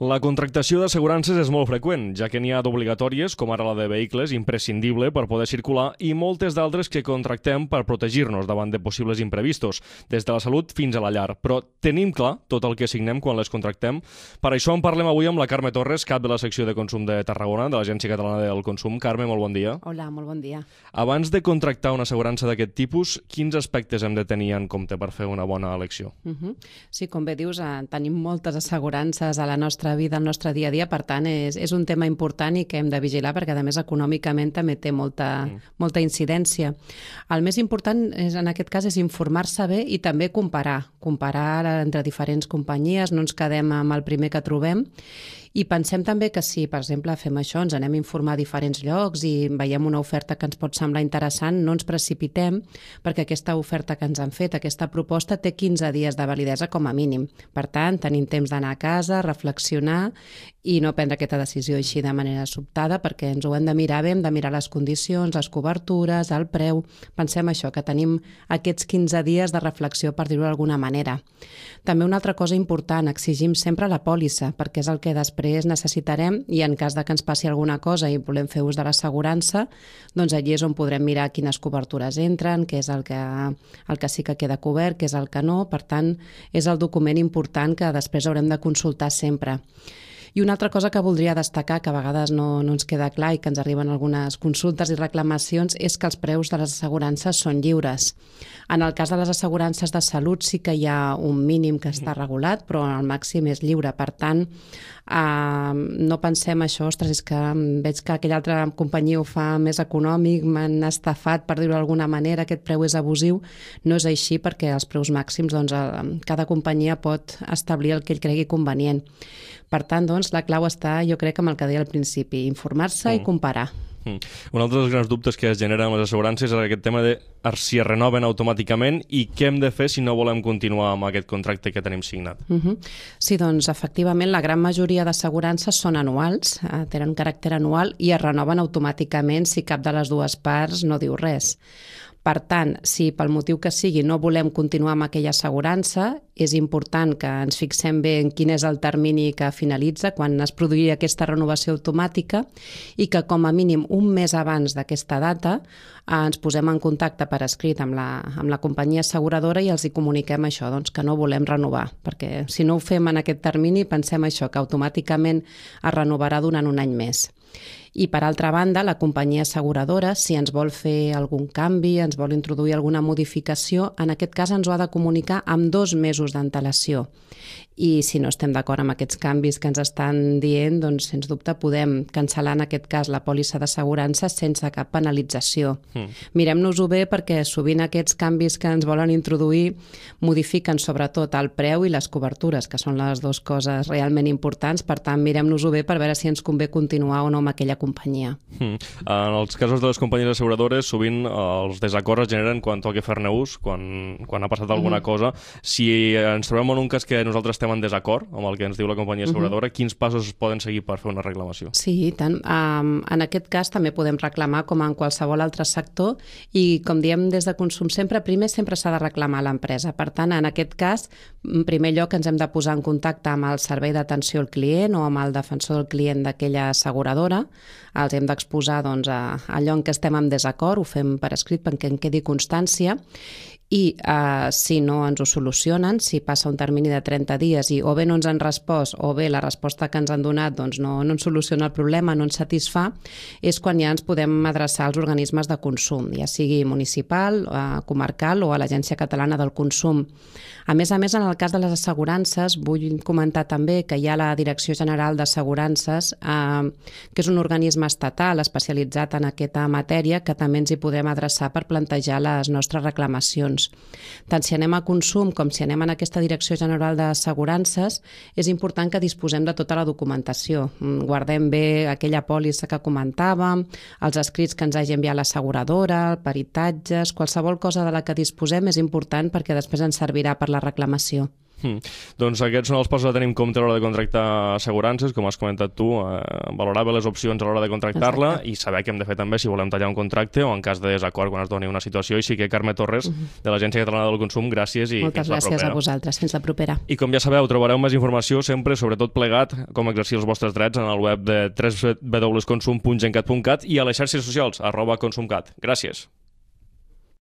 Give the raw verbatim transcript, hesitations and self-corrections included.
La contractació d'assegurances és molt freqüent, ja que n'hi ha d'obligatòries, com ara la de vehicles, imprescindible per poder circular, i moltes d'altres que contractem per protegir-nos davant de possibles imprevistos, des de la salut fins a la llar. Però tenim clar tot el que signem quan les contractem. Per això en parlem avui amb la Carme Torres, cap de la secció de consum de Tarragona, de l'Agència Catalana del Consum. Carme, molt bon dia. Hola, molt bon dia. Abans de contractar una assegurança d'aquest tipus, quins aspectes hem de tenir en compte per fer una bona elecció? Uh -huh. Sí, com bé dius, eh, tenim moltes assegurances a la nostra vida, al nostre dia a dia, per tant, és, és un tema important i que hem de vigilar perquè, a més, econòmicament també té molta, mm. molta incidència. El més important, és, en aquest cas, és informar-se bé i també comparar. Comparar entre diferents companyies, no ens quedem amb el primer que trobem. I pensem també que si, per exemple, fem això, ens anem a informar a diferents llocs i veiem una oferta que ens pot semblar interessant, no ens precipitem, perquè aquesta oferta que ens han fet, aquesta proposta, té quinze dies de validesa com a mínim. Per tant, tenim temps d'anar a casa, reflexionar i no prendre aquesta decisió així de manera sobtada, perquè ens ho hem de mirar bé, hem de mirar les condicions, les cobertures, el preu. Pensem això, que tenim aquests quinze dies de reflexió, per dir-ho d'alguna manera. També una altra cosa important, exigim sempre la pòlissa, perquè és el que després necessitarem i en cas de que ens passi alguna cosa i volem fer ús de l'assegurança, doncs allí és on podrem mirar quines cobertures entren, què és el que, el que sí que queda cobert, què és el que no. Per tant, és el document important que després haurem de consultar sempre. I una altra cosa que voldria destacar, que a vegades no, no ens queda clar i que ens arriben algunes consultes i reclamacions, és que els preus de les assegurances són lliures. En el cas de les assegurances de salut sí que hi ha un mínim que està regulat, però el màxim és lliure. Per tant, eh, no pensem això, ostres, és que veig que aquella altra companyia ho fa més econòmic, m'han estafat, per dir-ho d'alguna manera, aquest preu és abusiu. No és així, perquè els preus màxims, doncs, cada companyia pot establir el que ell cregui convenient. Per tant, doncs, la clau està, jo crec, amb el que deia al principi, informar-se mm. i comparar. Mm. Un altre dels grans dubtes que es generen amb les assegurances és aquest tema de si es renoven automàticament i què hem de fer si no volem continuar amb aquest contracte que tenim signat. Uh -huh. Sí, doncs, efectivament, la gran majoria d'assegurances són anuals, eh, tenen caràcter anual i es renoven automàticament si cap de les dues parts no diu res. Per tant, si pel motiu que sigui no volem continuar amb aquella assegurança, és important que ens fixem bé en quin és el termini que finalitza, quan es produïa aquesta renovació automàtica, i que com a mínim un mes abans d'aquesta data eh, ens posem en contacte per escrit amb la, amb la companyia asseguradora i els hi comuniquem això, doncs, que no volem renovar, perquè si no ho fem en aquest termini pensem això, que automàticament es renovarà durant un any més. I, per altra banda, la companyia asseguradora, si ens vol fer algun canvi, ens vol introduir alguna modificació, en aquest cas ens ho ha de comunicar amb dos mesos d'antelació. I si no estem d'acord amb aquests canvis que ens estan dient, doncs, sens dubte, podem cancel·lar, en aquest cas, la pòlissa d'assegurança sense cap penalització. Mm. Mirem-nos-ho bé, perquè sovint aquests canvis que ens volen introduir modifiquen sobretot el preu i les cobertures, que són les dues coses realment importants. Per tant, mirem-nos-ho bé per veure si ens convé continuar o no amb aquella companyia. Mm. En els casos de les companyies asseguradores, sovint els desacords es generen quan toca fer-ne ús, quan, quan ha passat alguna mm. cosa. Si ens trobem en un cas que nosaltres estem en desacord amb el que ens diu la companyia asseguradora, uh -huh. quins passos es poden seguir per fer una reclamació? Sí, i tant. Um, en aquest cas també podem reclamar com en qualsevol altre sector i, com diem des de Consum sempre, primer sempre s'ha de reclamar a l'empresa. Per tant, en aquest cas, en primer lloc ens hem de posar en contacte amb el servei d'atenció al client o amb el defensor del client d'aquella asseguradora. Els hem d'exposar, doncs, a allò en què estem en desacord, ho fem per escrit perquè en quedi constància. I eh, si no ens ho solucionen, si passa un termini de trenta dies i o bé no ens han respost o bé la resposta que ens han donat doncs no, no ens soluciona el problema, no ens satisfà, és quan ja ens podem adreçar als organismes de consum, ja sigui municipal, eh, comarcal o a l'Agència Catalana del Consum. A més a més, en el cas de les assegurances, vull comentar també que hi ha la Direcció General d'Assegurances, eh, que és un organisme estatal especialitzat en aquesta matèria, que també ens hi podem adreçar per plantejar les nostres reclamacions. Tant si anem a Consum com si anem en aquesta Direcció General d'Assegurances, és important que disposem de tota la documentació. Guardem bé aquella pòlissa que comentàvem, els escrits que ens hagi enviat l'asseguradora, peritatges, qualsevol cosa de la que disposem és important perquè després ens servirà per la reclamació. Mm. Doncs aquests són els passos a tenir en compte a l'hora de contractar assegurances, com has comentat tu, eh, valorar bé les opcions a l'hora de contractar-la. Exacte. I saber què hem de fer també si volem tallar un contracte o en cas de desacord quan es doni una situació. I sí que Carme Torres, uh-huh. de l'Agència Catalana del Consum, gràcies i moltes fins la gràcies propera. a vosaltres, fins la propera. I com ja sabeu, trobareu més informació sempre, sobretot plegat, com exercir els vostres drets en el web de w w w punt consum punt gencat punt cat i a les xarxes socials, arroba consumcat. Gràcies.